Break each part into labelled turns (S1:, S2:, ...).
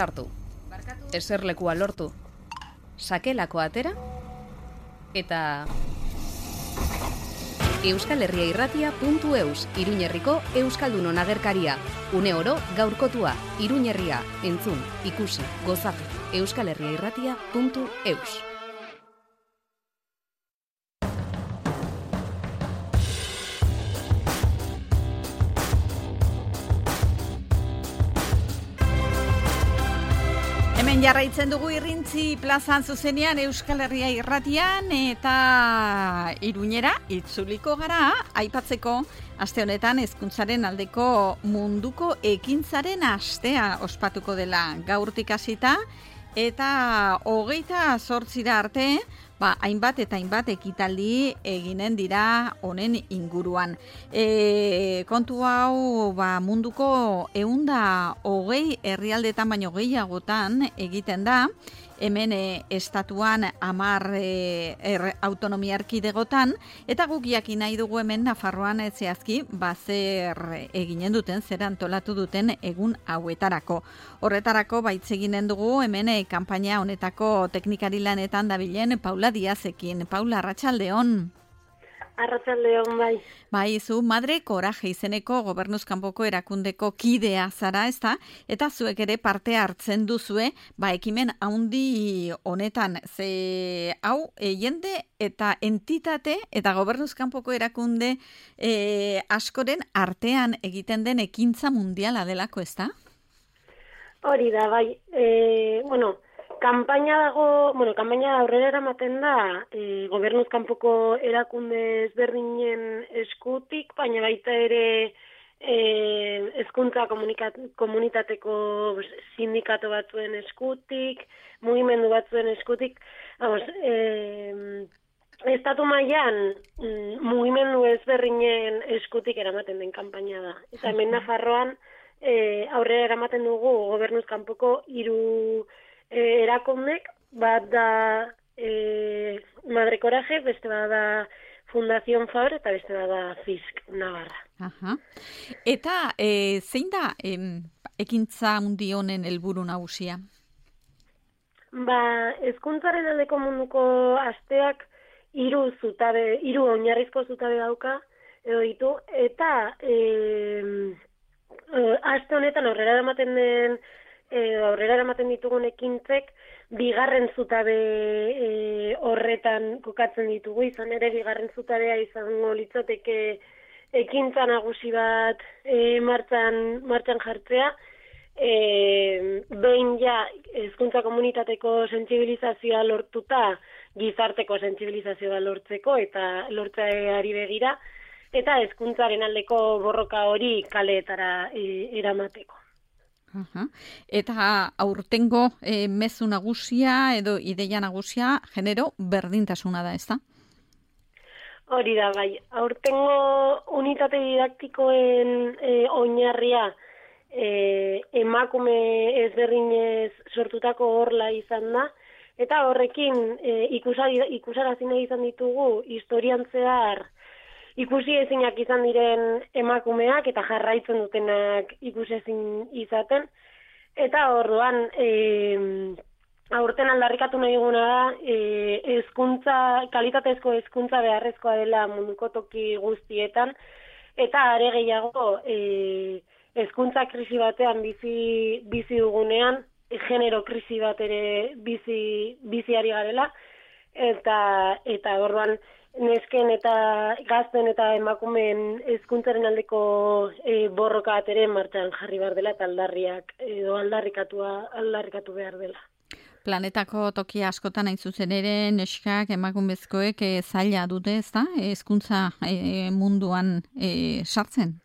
S1: Hartu, eserlekua lortu, sakelako atera, eta euskalherriairratia.eus, Iruñerriko Euskaldunon agerkaria. Une oro gaurkotua, Iruñerria, entzun, ikusi, gozatu, euskalherriairratia.eus.
S2: Hemen jarraitzen dugu Irrintzi plazan zuzenean Euskal Herria irratian eta Iruñera itzuliko gara aipatzeko aste honetan hezkuntzaren aldeko munduko ekintzaren astea ospatuko dela gaurtik hasita eta 28 arte hainbat eta hainbat ekitaldi eginen dira honen inguruan. Kontu hau munduko 120 herrialdetan baino gehiagotan egiten da. Hemen estatuan 10 autonomia erkidegotan, eta guk jakin nahi dugu hemen Nafarroan zehazki zer eginen duten, zer antolatu duten egun hauetarako. Horretarako hitz eginen dugu hemen kanpaina honetako teknikari lanetan dabilen Paula Diazekin. Paula, arratsaldeon.
S3: Arratsaldeon, bai.
S2: Bai, zu Madre Coraje izeneko gobernuz kanpoko erakundeko kidea zara, ezta? Eta zuek ere parte hartzen duzue, ekimen handi honetan. Ze hau, jende eta entitate eta gobernuz kanpoko erakunde askoren artean egiten den ekintza mundiala delako, ezta?
S3: Hori da, bai. Kanpaina aurrera eramaten da gobernuz kanpoko erakunde ezberdinen eskutik, baina baita ere hezkuntza komunitateko sindikato batzuen eskutik, mugimendu batzuen eskutik. Estatu mailan mugimendu ezberdinen eskutik eramaten den kanpaina da. Eta hemen Nafarroan aurrera eramaten dugu gobernuz kanpoko 3 erakundek, bat da Madre Coraje, beste bat da Fundación Fabra eta beste bat da FISC Navarra.
S2: Aha. Eta zein da ekintza handi honen helburu nagusia?
S3: Hezkuntzaren aldeko munduko asteak 3 oinarrizko zutabe dauka edo ditu, eta aste honetan aurrera eramaten ditugun ekintzek bigarren zutabe horretan kokatzen ditugu, izan ere bigarren zutabea izango litzateke ekintza nagusi bat martxan jartzea, behin hezkuntza komunitateko sentsibilizazioa lortuta gizarteko sentsibilizazioa lortzeko eta lortzeari begira, eta hezkuntzaren aldeko borroka hori kaleetara eramateko.
S2: Eta aurtengo mezu nagusia edo ideia nagusia genero berdintasuna da, ezta?
S3: Hori da, bai. Aurtengo unitate didaktikoen oinarria emakume ezberdinez sortutako horla izan da, eta horrekin ikusarazi nahi izan ditugu historian zehar ikusi ezinak izan diren emakumeak eta jarraitzen dutenak ikusezin izaten. Eta orduan, aurten aldarrikatu nahi duguna da, kalitatezko hezkuntza beharrezkoa dela munduko toki guztietan, eta are gehiago hezkuntza krisi batean bizi dugunean, genero krisi bat ere biziari garela, eta orduan, nesken eta gazten eta emakumeen hezkuntzaren aldeko borroka bat ere martxan jarri behar dela eta aldarrikatu behar dela.
S2: Planetako toki askotan hain zuzen ere neskak emakumezkoek zaila dute, ezta? Hezkuntza munduan sartzen?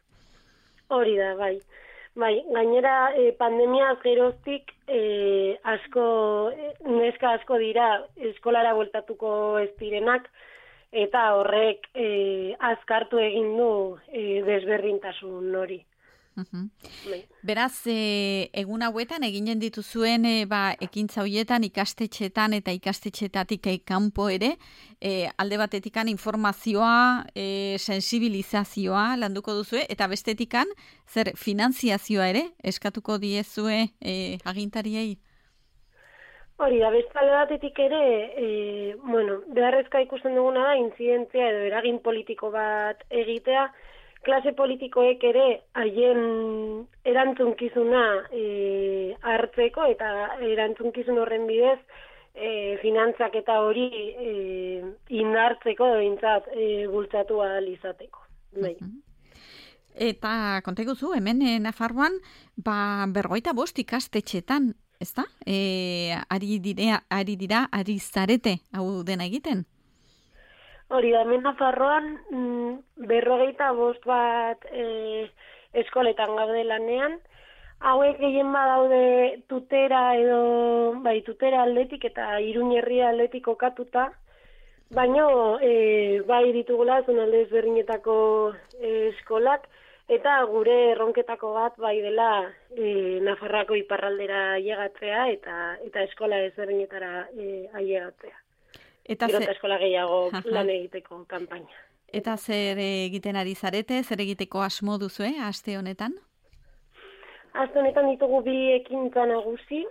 S3: Hori da, bai. Gainera pandemiaz geroztik neska asko dira eskolara bueltatuko ez direnak, eta horrek azkartu egin du desberdintasun hori.
S2: Beraz, egun hauetan eginen dituzuen ekintza horietan ikastetxeetan eta ikastetxeetatik kanpo ere, alde batetikan informazioa, sensibilizazioa landuko duzue, eta bestetikan zer finanziazioa ere eskatuko diezue agintariei?
S3: Hori da, bestalde batetik ere, beharrezkoa ikusten duguna da, intzidentzia edo eragin politiko bat egitea, klase politikoek ere haien erantzunkizuna hartzeko eta erantzunkizun horren bidez finantzak eta hori indartzeko behintzat bultzatu ahal izateko.
S2: Eta konta iguzu, hemen Nafarroan 55 ikastetxetan, ezta? Ari zarete hau dena egiten?
S3: Hori da, hemen Nafarroan 55 bat eskoletan gaude lanean. Hauek gehien badaude tutera edo tutera aldetik eta Iruñerria aldetik kokatuta, baina bai ditugula zonalde ezberdinetako eskolak, eta gure erronketako bat bai dela Nafarroako iparraldera ailegatzea eta eskola ezberdinetara ailegatzea. Eta eskola gehiago lan egiteko kanpaina.
S2: Eta zer egiten ari zarete, zer egiteko asmo duzue aste honetan?
S3: Aste honetan ditugu 2 ekintza nagusi.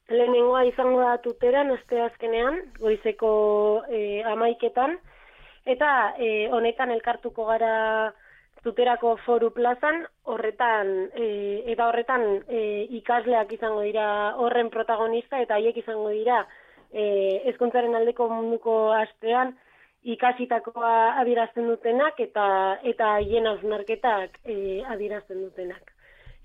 S3: Lehenengoa izango da tuteran, aste azkenean, goizeko 11:00, eta honetan elkartuko gara tuterako foru plazan, horretan ikasleak izango dira horren protagonista, eta haiek izango dira hezkuntzaren aldeko munduko astean ikasitakoa adierazten dutenak eta haien hausnarketak adierazten dutenak.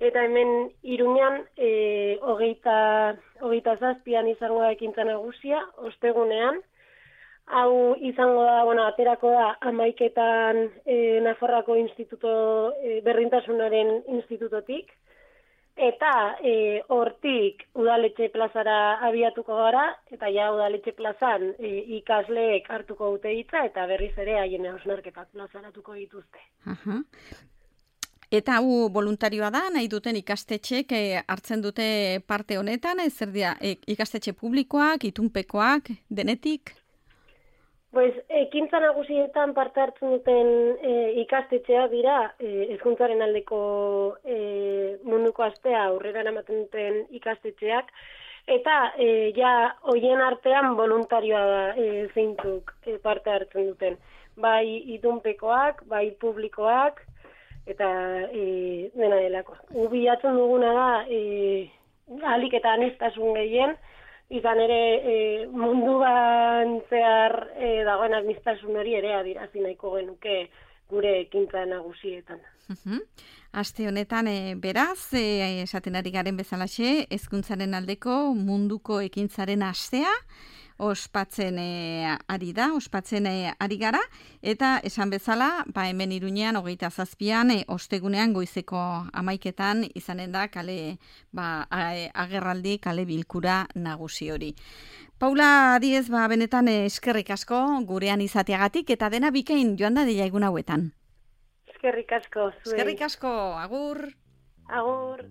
S3: Eta hemen Iruñan 27an izango da ekintza nagusia, ostegunean. Hau izango da, aterako da 11:00 Nafarroako instituto berdintasunaren institutotik. Eta hortik udaletxe plazara abiatuko gara, eta ja udaletxe plazan ikasleek hartuko dute hitza, eta berriz ere haien hausnarketak plazaratuko dituzte.
S2: Eta hau voluntarioa da, nahi duten ikastetxek hartzen dute parte honetan, zer dira, ikastetxe publikoak, itunpekoak, denetik?
S3: Ekintza nagusietan parte hartzen duten ikastetxeak dira hezkuntzaren aldeko munduko astea aurrera eramaten duten ikastetxeak, eta hoien artean voluntarioa da zeintzuk parte hartzen duten. Bai itunpekoak, bai publikoak, eta dena delako. Bilatzen duguna da ahalik eta aniztasun gehien, izan ere munduan zehar dagoen aniztasun hori ere adierazi nahiko genuke gure ekintza nagusietan.
S2: Aste honetan beraz, esaten ari garen bezalaxe, hezkuntzaren aldeko munduko ekintzaren astea ospatzen ari gara, eta esan bezala, hemen Iruñean 27an, ostegunean goizeko 11:00 izanen da agerraldi, kale bilkura nagusi hori. Paula Diez, benetan eskerrik asko gurean izateagatik, eta dena bikain joan da dela egun hauetan.
S3: Eskerrik asko.
S2: Eskerrik asko, agur.
S3: Agur.